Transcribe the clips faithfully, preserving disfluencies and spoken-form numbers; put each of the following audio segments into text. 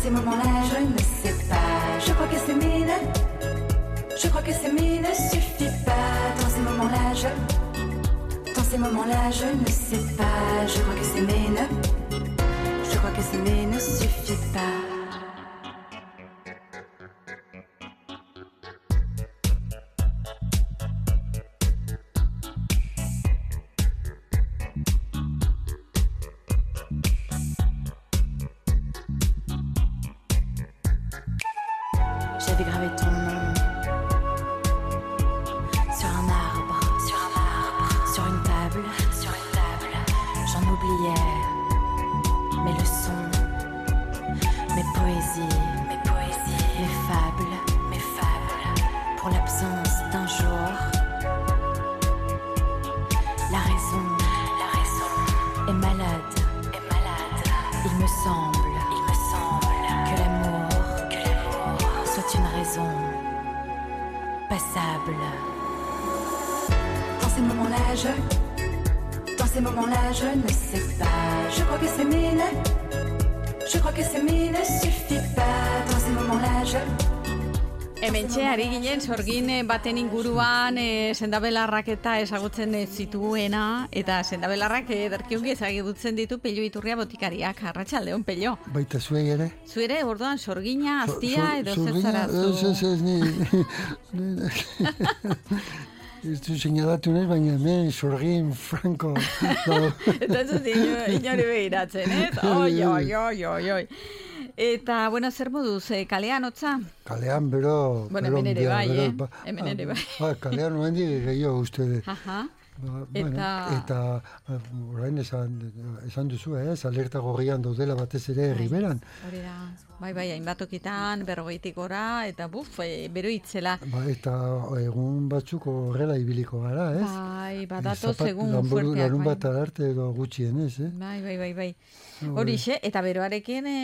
ces moments-là, je ne sais pas. Je crois que s'aimer ne, je crois que s'aimer ne suffit pas. Dans ces moments-là, je, dans ces moments-là, je ne sais pas. Je crois que s'aimer ne, je crois que s'aimer ne suffit pas. J'avais gravé ton nom sur un arbre, sur un arbre, sur une table, sur une table. J'en oubliais mes leçons, mes poésies, mes poésies, mes fables, mes fables. Pour l'absence d'un jour, la raison, la raison est malade, est malade. Il me semble, il me semble que l'amour, que l'amour soit une raison passable. Dans ces moments-là, je, dans ces moments-là, je ne sais pas. Je crois que s'aimer ne, je crois que s'aimer ne suffit pas. Dans ces moments-là, je. Hementxe, ari ginen, sorgin baten inguruan e, sendabelarrak eta ezagutzen zituena, eta sendabelarrak ederkiongi ezagutzen ditu Pello Iturria botikariak. Arratsaldeon, Pello. Baita zuei ere? Zuere, orduan, sorgina, aztia, edo zer zara zu? Ez, ez, ez, ni... Ez du seinalatu nahi, baina hemen sorgin franko. Eta ez dut inori behiratzen, ez? Oi, oi, oi, oi, oi. Eta, bueno, zer moduz, eh, kalean hotza? Kalean, bero... Bueno, hemen ere bai, eh? Hemen ere bai. Ba, kalean nuen di gehiago uste de. Aha. Ba, Eta... Bueno, eta orain esan, esan duzu, ez? Alerta gorrian daudela batez ere herriberan. Hori da, bai, bai, hainbat okitan, berrogeitik gora, eta buf, e, bero itzela. Ba, eta egun batzuk horrela ibiliko gara, ez? Bai, badatoz egun fuerteak. Larun bai. bat arte edo gutxienez, eh? Bai, bai, bai, bai. Horixe, eta beroarekin e,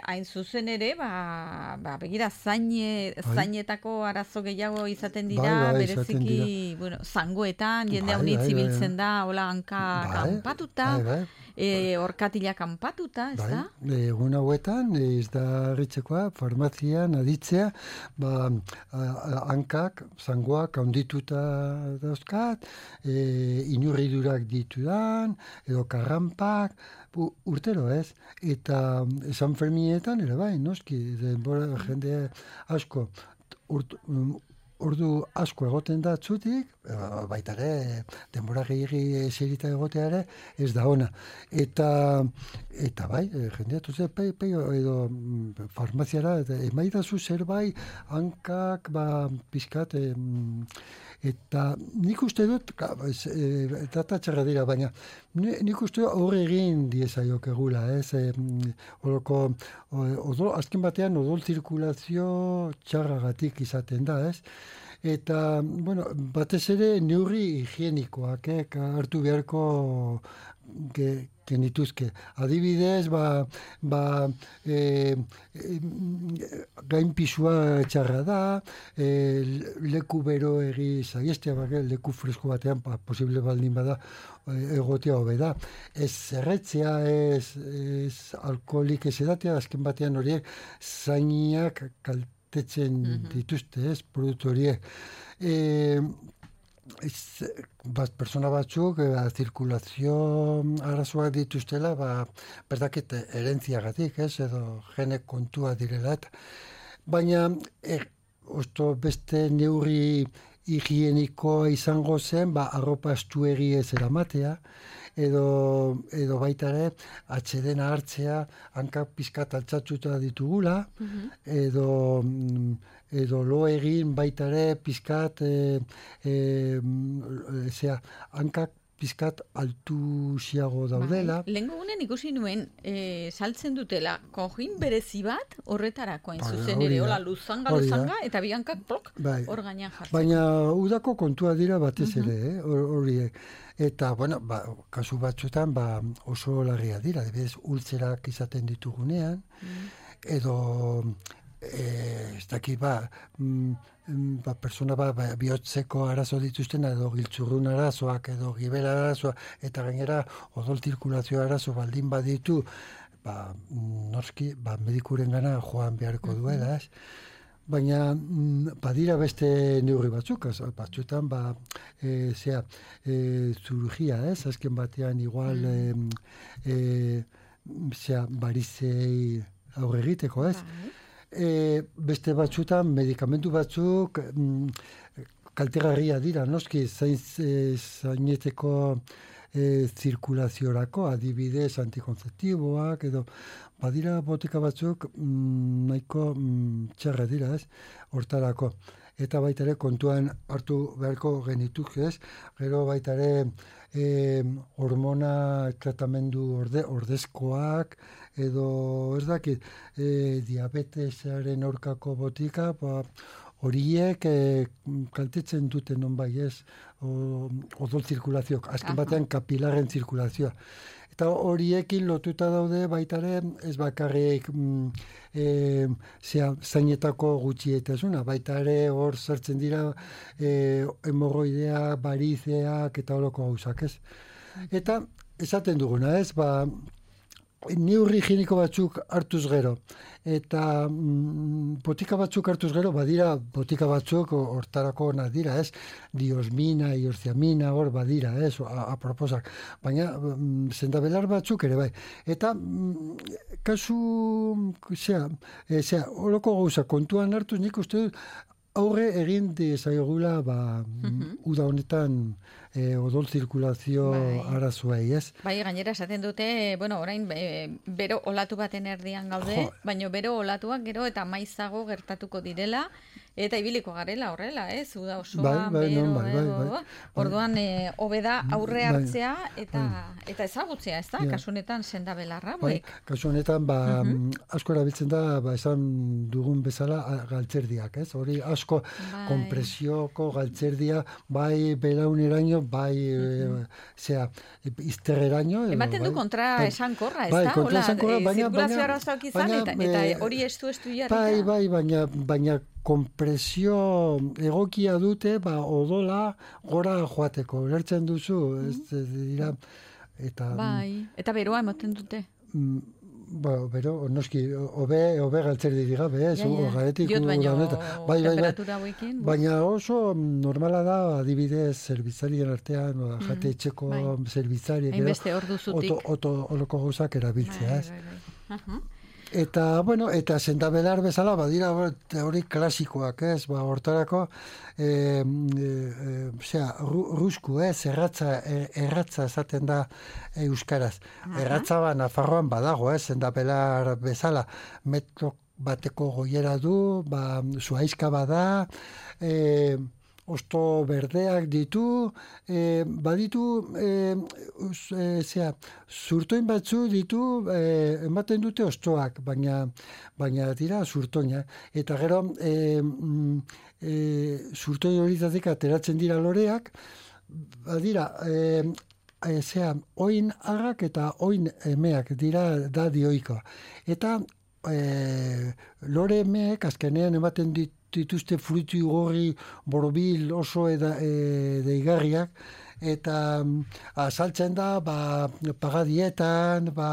hain zuzen ere, ba, ba begira, zaine, zainetako arazo gehiago izaten dira, bai, bai, bereziki, izaten dira. Bueno, zangoetan, jende Bai, haunitz bai, ibiltzen bai. da, hola hanka Bai, kanpatuta, bai, bai. e, orkatila kanpatuta, ez Bai, da? egun hauetan, ez da harritzekoa, farmazian aditzea, ba, a- a- hankak, zangoak handituta dauzkat, e, inurridurak ditudan, edo karrampak, u- urtero ez, eta San Ferminetan ere bai, noski, denbora jende asko, urt, um, ordu asko egoten da txutik, baita ere, denbora gehiagi zerita egotea ere, ez da ona. Eta, eta bai, jendea, tuze, pei, pei, edo mm, farmaziara, eta emaidazu zerbait, hankak, ba, pizkat, em, eta nik uste dut, ka, ez, e, data txarra dira, baina ni- nik uste dut horre egin diezaiok egula, ez, e, horoko, odol, azken batean odol zirkulazio txarragatik izaten da, ez, eta, bueno, batez ere neurri higienikoak, eh, hartu beharko ge, genituzke. Adibidez, ba, ba e, e, gainpisua txarra da, e, leku bero egi zaiestea, bak, leku fresko batean, ba, posible baldin bada, egotea hobe da. Ez zerretzea, ez, ez alkoholik ez edatea, azken batean horiek zainiak kaltetzen dituzte, ez, produktu horiek. E, Ez, bat, persona batzuk, e, zirkulazio arazoak dituztela, ba, berdakit erentziagatik, ez, edo gene kontua direla, eta. Baina, e, osto beste neurri higienikoa izango zen, ba, arropa estuegi ez eramatea, edo, edo baita ere, atsedena hartzea, hankak pizkat altxatzuta ditugula, edo, edo lo egin baita ere pizkat, e, e, zera, hankak pizkat altuxiago daudela. Bai. Lehengo gunen ikusi nuen, e, saltzen dutela, kojin berezi bat horretarako hain Bai, zuzen hori ere, da. hola, luzanga, Hori da. luzanga, eta bihankak plok, Bai. hor gainean jartzen. Baina udako kontua dira batez ere, eh, hor- horiek. Eta, bueno, ba, kasu batzuetan ba, oso larria dira, adibidez, ultzerak izaten ditugunean, edo eh, ez dakit, ba, mm, ba, persona ba, ba, bihotzeko arazo dituzten, edo giltzurrun arazoak, edo gibela arazoak, eta gainera odol zirkulazio arazo baldin baditu, ba, noski, ba, medikuren gana joan beharko duela, ez? Baina badira beste neurri batzuk, batzuetan, ba, e, zera, e, zirurgia, ez? Azken batean, igual, mm. e, e, zera, barizei aurre egiteko, ez? E, beste batzuetan, medikamentu batzuk, mm, kaltegarria dira, noski, zain, e, zaineteko e, zirkulaziorako, adibidez antikonzeptiboak, edo, badira botika batzuk mm, nahiko mm, txarra dira, ez, hortarako. Eta baita ere kontuan hartu beharko genituk, ez, gero baita ere e, hormona tratamendu orde, ordezkoak, edo ez dakit, e, diabetesaren aurkako botika, ba, horiek e, kaltetzen duten non bai ez, o, odol zirkulazioak, azken batean kapilaren zirkulazioa. Eta horiekin lotuta daude baitare ez bakarrik mm, e, zea, zainetako gutxietasuna, baita ere hor sartzen dira e, hemorroidea, barizeak eta horoko gauzak, ez. Eta esaten duguna, ez, ba, neurri higieniko batzuk hartuz gero, eta mm, botika batzuk hartuz gero, badira botika batzuk hortarako onak dira, ez? Diosmina, iorziamina, hor badira, ez? Aproposak. Baina, mm, zendabelar batzuk ere bai. Eta, mm, kasu, zera, e, zera, horoko gauza kontuan hartuz, nik uste dut, aurre egin dezaiogula, ba, mm-hmm. uda honetan, E, odol zirkulazio bai. Arazoei, ez? Bai, gainera esaten dute, bueno, orain e, bero olatu baten erdian gaude, jo. Baina bero olatuak gero eta maizago gertatuko direla, eta ibiliko garela horrela, ez? Uda osoan, bai, bai, bero, non, bai, bai, bai, bai. Orduan, e, hobeda aurre hartzea eta, bai. Eta ezagutzea, ez da? Ja. Kasunetan sendabelarra, bai. Kasunetan, ba, uh-huh. asko erabiltzen da, ba, esan dugun bezala galtzerdiak, ez? Hori asko bai. Kompresioko galtzerdia, bai belauneraino, bai, uh-huh. e, zera, izterreraino. Ematen du kontra bai, esan korra, ez bai, da? Bai, kontra esan korra, baina... Zirkulazio arazoak izan, baina, eta, eta hori estu estu jarrita. Bai, bai, baina, baina kompresio egokia dute, ba, odola gora joateko. Lertzen duzu, ez dira... Eta, bai, eta beroa ematen dute. Mm, Ba, bero, noski, obe, obe galtzerdi gabe, ez, ja, ja. Garetik Jot baino bai, temperatura hauekin. Bai, baina oso normala da, adibidez, zerbitzarien artean, mm, jate etxeko bai. Zerbitzari, hainbeste hor duzutik. Oto, oto, oloko gauzak erabiltzea, ez. Bai, bai, bai. Uh-huh. Eta, bueno, eta sendabelar bezala, badira hori klasikoak, ez, ba, hortarako, e, e, zera, rusku, ez, erratza, erratza esaten da euskaraz. Uh-huh. Erratza ba, Nafarroan badago, ez, sendabelar bezala, metro bateko goiera du, ba, zuhaizka bada, e, osto berdeak ditu, e, baditu, e, e, zera, zurtoin batzu ditu, e, ematen dute ostoak, baina, baina dira zurtoina. Eta gero, e, e, zurtoin horietatik ateratzen dira loreak, badira, e, e, zera, oin agak eta oin emeak dira da dioikoa. Eta e, lore emeek azkenean ematen ditu, dituzte fruitu gorri borobil oso eda, e, deigarriak, eta azaltzen da ba, pagadietan, ba,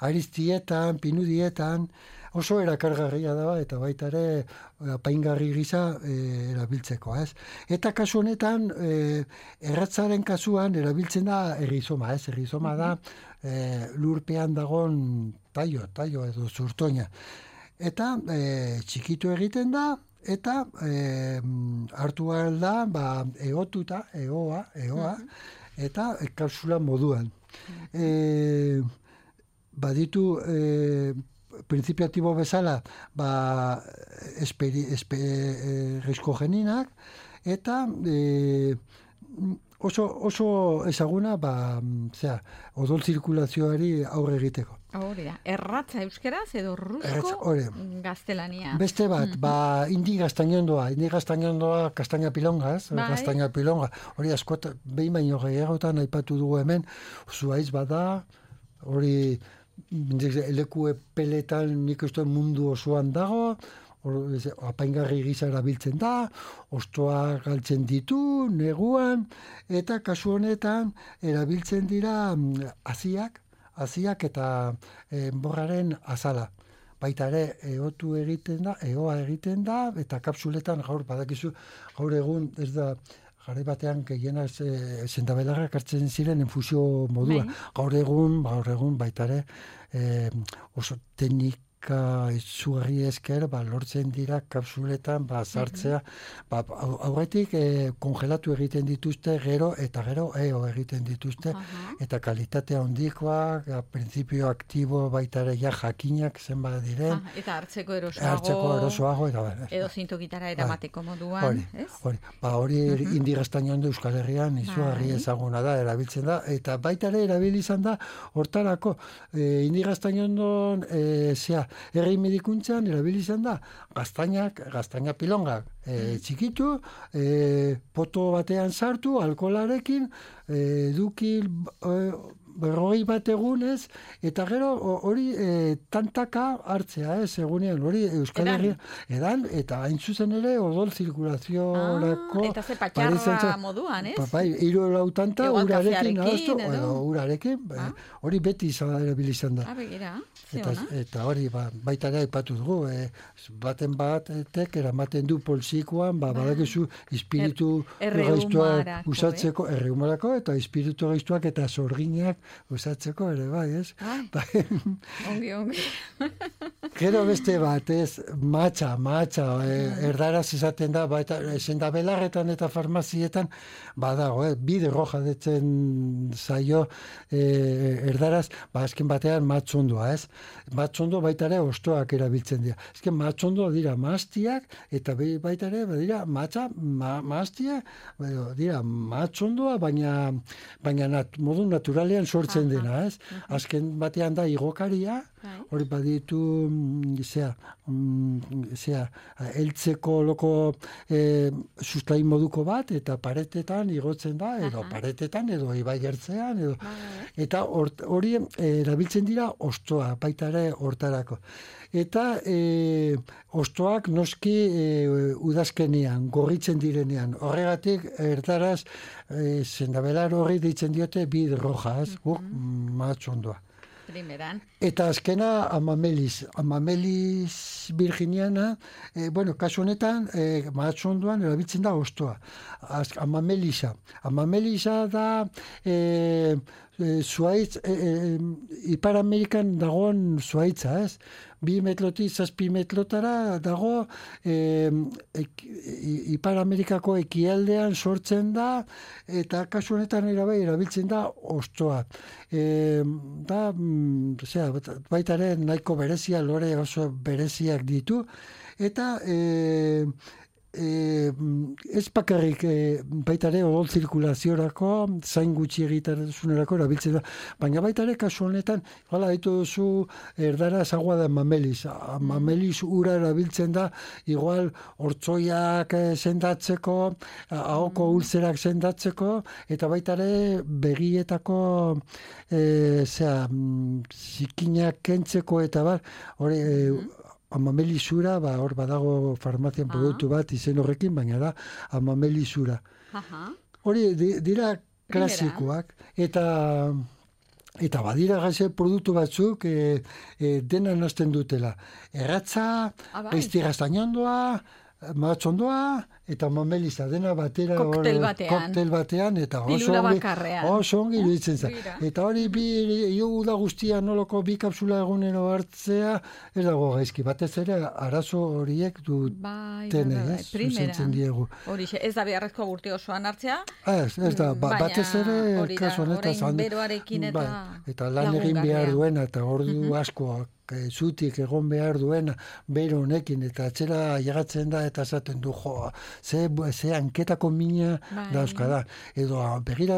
aristietan, pinudietan, oso erakargarria da, eta baita ere apaingarri gisa e, erabiltzeko, ez? Eta kasu honetan, e, erratzaren kasuan erabiltzen da errizoma, ez? Errizoma da e, lurpean dagon taio, taio edo zurtoina. Eta e, txikitu egiten da, eta e, hartu behar da, ba, egotuta, egoa, egoa, eta kapsula moduan. E, baditu, e, prinzipiatibo bezala, ba, esperi, espe, e, riskogeninak, eta e, oso, oso ezaguna, ba, zera, odol zirkulazioari aurre egiteko. Hori da, erratza euskeraz edo rusko gaztelania. Beste bat, mm-hmm. ba, indi gaztainondoa, indi gaztainondoa kastaina pilongaz, bai. Kastaina pilonga, hori askot, behin baino gehiagotan aipatu dugu hemen, zuaiz bada, hori leku peletan nik uste mundu osoan dago, apaingarri gisa erabiltzen da, ostoa galtzen ditu, neguan, eta kasu honetan erabiltzen dira haziak, haziak eta enborraren azala. Baita ere, eotu egiten da, eoa egiten da, eta kapsuletan gaur badakizu, gaur egun ez da, garai batean gehiena e, sendabelarrak hartzen ziren infusio modua. Bai. Gaur egun, gaur egun baita ere, e, oso teknika izugarri esker, ba, lortzen dira kapsuletan, ba, sartzea, ba, aurretik e, kongelatu egiten dituzte, gero eta gero eo egiten dituzte, uh-huh. eta kalitatea hondikoak, printzipio aktibo baita ere ja jakinak zenbat diren. Ah, eta hartzeko erosoago, hartzeko erosoago eta, edo zintokitara eramateko moduan, hori, ez? Hori, ba, hori uh-huh. indigaztainoan du Euskal Herrian izugarri bai. ezaguna da, erabiltzen da, eta baita ere erabili izan da, hortarako, e, indigaztainoan, e, zea, herri medikuntzan erabili izan da, gaztainak, gaztaina pilongak e, txikitu, e, poto batean sartu, alkoholarekin, e, duki e, berrogei bat egunez, eta gero hori e, tantaka hartzea, ez, egunean, hori Euskal Herria, edan, eta hain zuzen ere odol zirkulaziorako. Ah, eta ze patxarra moduan, ez? Bai, hiru lau tanta, urarekin, ahoztu, edo urarekin, ah? hori beti izan erabilizan da. Ah, begira, eta, eta hori, ba, baita ere aipatu dugu, e, baten batek eramaten du poltsikoan, ba, ba. badakizu, espiritu er, gaiztuak usatzeko, eh? erreumarako, eta espiritu gaiztuak eta sorginak usatzeko ere, bai, ez? Bai, ongi, ongi. Gero beste bat, ez, matxa, matxa, e, erdaraz izaten da, baita, sendabelarretan eta farmazietan, badago, eh, bide roja detzen zaio e, erdaraz, ba, azken batean matxondua, ez? Matxondo baita ere ostoak erabiltzen dira. Azken matxondo dira maztiak, eta baita ere, dira matxa, ma, maztiak, dira matxondoa, baina, baina nat, modu naturalean sortzen Aha. dena, ez? Uh-huh. Azken batean da igokaria, hori baditu, zea, zea, eltzeko loko e, sustain moduko bat, eta paretetan igotzen da, edo Aha. paretetan, edo ibai ertzean, edo, eta hori erabiltzen dira ostoa, baita ere hortarako. Eta e, ostoak noski e, udazkenean, gorritzen direnean. Horregatik, erdaraz, e, sendabelar horri deitzen diote bid roja, ez? Uh-huh. Guk matxondoa. Primeran. Eta azkena amamelis. Amamelis virginiana, e, bueno, kasu honetan, e, matxondoan erabiltzen da ostoa. Az, amamelisa. Amamelisa da... E, E, zuaitz, e, e, Ipar Amerikan dagoen zuaitza, ez? Bi metlotik zazpi metlotara dago e, e, Ipar Amerikako ekialdean sortzen da, eta kasu honetan erabai erabiltzen da ostoa. E, da, zera, baita ere nahiko berezia, lore oso bereziak ditu, eta... E, E, ez bakarrik e, baita ere odol zirkulaziorako, zain gutxi egitasunerako erabiltzen da, baina baita ere kasu honetan, hala ditu duzu erdara agua da mamelis. Mamelis ura erabiltzen da, igual hortzoiak sendatzeko, ahoko ulzerak sendatzeko, eta baita ere begietako e, zera, zikinak kentzeko eta bar, hori e, amamelisura, ba, hor badago farmazian produktu bat izen horrekin, baina da amamelisura. Hori dira klasikoak, eta eta badira gaze produktu batzuk e, e, dena nazten dutela. Erratza, gaiztigaztainondoa, matxondoa, eta mameliza dena batera koktel batean, koktel batean eta oso ongi, oso ongi iruditzen za. Eta hori bi da guztia noloko bi kapsula egunero hartzea, ez dago gaizki, batez ere arazo horiek duten, ez? Zuzentzen diegu. Hori, ez da beharrezko gurti osoan hartzea? Ez, ez da, ba, batez ere kasu honetaz. Orain beroarekin eta eta lan egin behar duena, eta ordu uh-huh. askoak zutik egon behar duena bero honekin, eta atxera llegatzen da eta esaten du, jo, ze, ze hanketako mina bai. dauzkada. Edo begira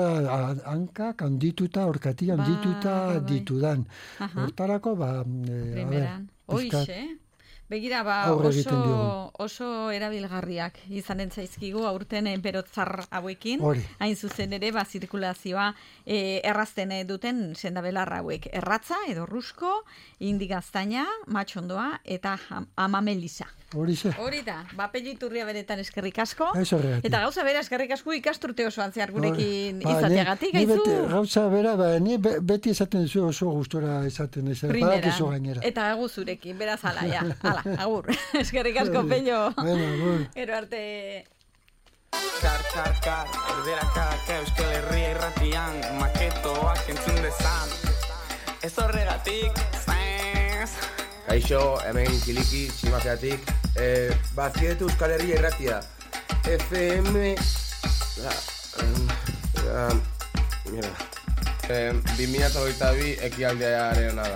hankak handituta, orkati handituta bai, bai. ditudan. Hortarako, ba... E, Primeran. Hoixe, begira, ba, oso, oso erabilgarriak izanen zaizkigu aurten berotzar hauekin, Hori. hain zuzen ere, ba, zirkulazioa e, errazten duten sendabelar hauek. Erratza edo rusko, indigaztaina, matxondoa eta amamelisa. horixe. Hori da, ba, Pello Iturria benetan eskerrik asko. Ez horregatik. Eta gauza bera eskerrik asko ikasturte osoan zehar gurekin Ba, izateagatik, ni- ni gaizu? beti- Gauza bera, ba, ni be- beti esaten duzu oso gustora esaten ez. Primera. Badakizu gainera. Eta agur zurekin, beraz ala, ja. Ala, agur. Eskerrik asko, Pello. Bueno, agur. Gero arte... Kar, kar, kar, erderakak Euskal Herria irratian maketoak entzun dezan. Ez horregatik, zez. Kaixo, hemen kiliki, tximazeatik. Eh, Bazkietu Euskal Herria irratia. F M... Ah, ah, mierda. Eh, bi mila hogeita bi ekialdearen da.